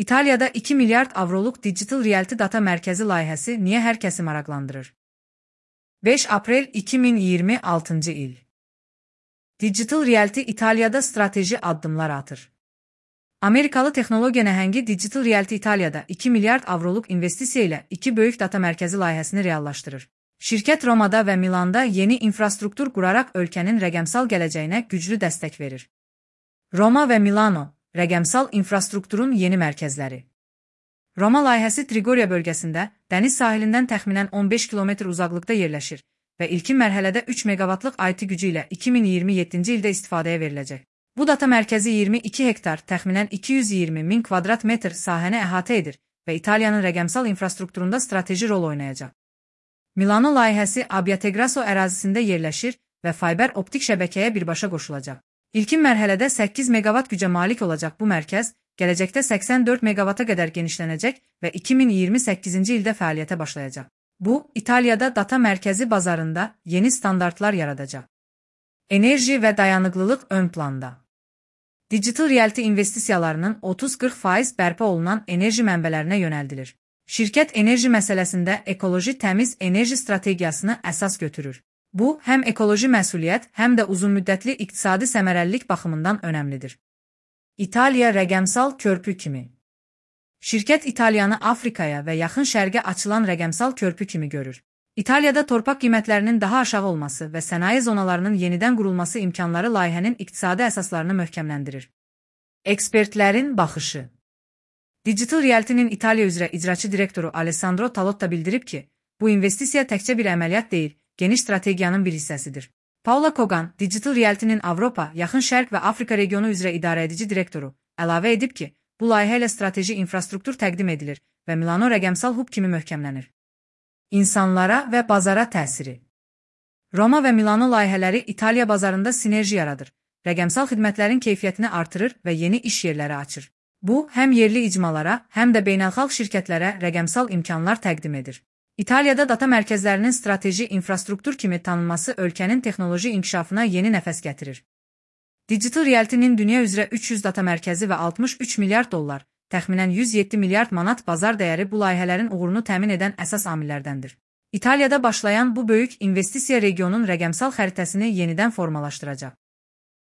İtaliyada 2 milyard avroluk Digital Realty Data Mərkəzi layihəsi niyə hər kəsi maraqlandırır? 5 aprel 2026 il. Digital Realty İtaliyada strateji addımlar atır. Amerikalı texnologiya nəhəngi Digital Realty İtaliyada 2 milyard avroluk investisiya ilə 2 böyük data mərkəzi layihəsini reallaşdırır. Şirkət Romada və Milanda yeni infrastruktur quraraq ölkənin rəqəmsal gələcəyinə güclü dəstək verir. Roma və Milano, rəqəmsal infrastrukturun yeni mərkəzləri. Roma layihəsi Trigoriya bölgəsində, dəniz sahilindən təxminən 15 km uzaqlıqda yerləşir və ilkin mərhələdə 3 meqavatlıq IT gücü ilə 2027-ci ildə istifadəyə veriləcək. Bu data mərkəzi 22 hektar, təxminən 220 min kvadrat metr sahəni əhatə edir və İtaliyanın rəqəmsal infrastrukturunda strateji rol oynayacaq. Milano layihəsi Abbiategrasso ərazisində yerləşir və fayber optik şəbəkəyə birbaşa qoşulacaq. İlkin mərhələdə 8 meqavat gücə malik olacaq bu mərkəz, gələcəkdə 84 meqavata qədər genişlənəcək və 2028-ci ildə fəaliyyətə başlayacaq. Bu, İtaliyada data mərkəzi bazarında yeni standartlar yaradacaq. Enerji və dayanıqlılıq ön planda. Digital Realty investisiyalarının 30-40% bərpa olunan enerji mənbələrinə yönəldilir. Şirkət enerji məsələsində ekoloji təmiz enerji strategiyasını əsas götürür. Bu, həm ekoloji məsuliyyət, həm də uzunmüddətli iqtisadi səmərəlilik baxımından önəmlidir. İtaliya rəqəmsal körpü kimi. Şirkət İtaliyanı Afrikaya və Yaxın Şərqə açılan rəqəmsal körpü kimi görür. İtaliyada torpaq qiymətlərinin daha aşağı olması və sənaye zonalarının yenidən qurulması imkanları layihənin iqtisadi əsaslarını möhkəmləndirir. Ekspertlərin baxışı. Digital Realty-nin İtaliya üzrə icraçı direktoru Alessandro Talotta bildirib ki, bu investisiya təkcə bir əməliyyat deyil, geniş strategiyanın bir hissəsidir. Paula Kogan, Digital Realty-nin Avropa, Yaxın Şərq və Afrika regionu üzrə idarəedici direktoru, əlavə edib ki, bu layihə ilə strateji infrastruktur təqdim edilir və Milano rəqəmsal hub kimi möhkəmlənir. İnsanlara və bazara təsiri. Roma və Milano layihələri İtaliya bazarında sinerji yaradır, rəqəmsal xidmətlərin keyfiyyətini artırır və yeni iş yerləri açır. Bu, həm yerli icmalara, həm də beynəlxalq şirkətlərə rəqəmsal imkanlar təqdim edir. İtaliyada data mərkəzlərinin strateji infrastruktur kimi tanınması ölkənin texnoloji inkişafına yeni nəfəs gətirir. Digital Realty-nin dünya üzrə 300 data mərkəzi və 63 milyard dollar, təxminən 107 milyard manat bazar dəyəri bu layihələrin uğurunu təmin edən əsas amillərdəndir. İtaliyada başlayan bu böyük investisiya regionun rəqəmsal xəritəsini yenidən formalaşdıracaq.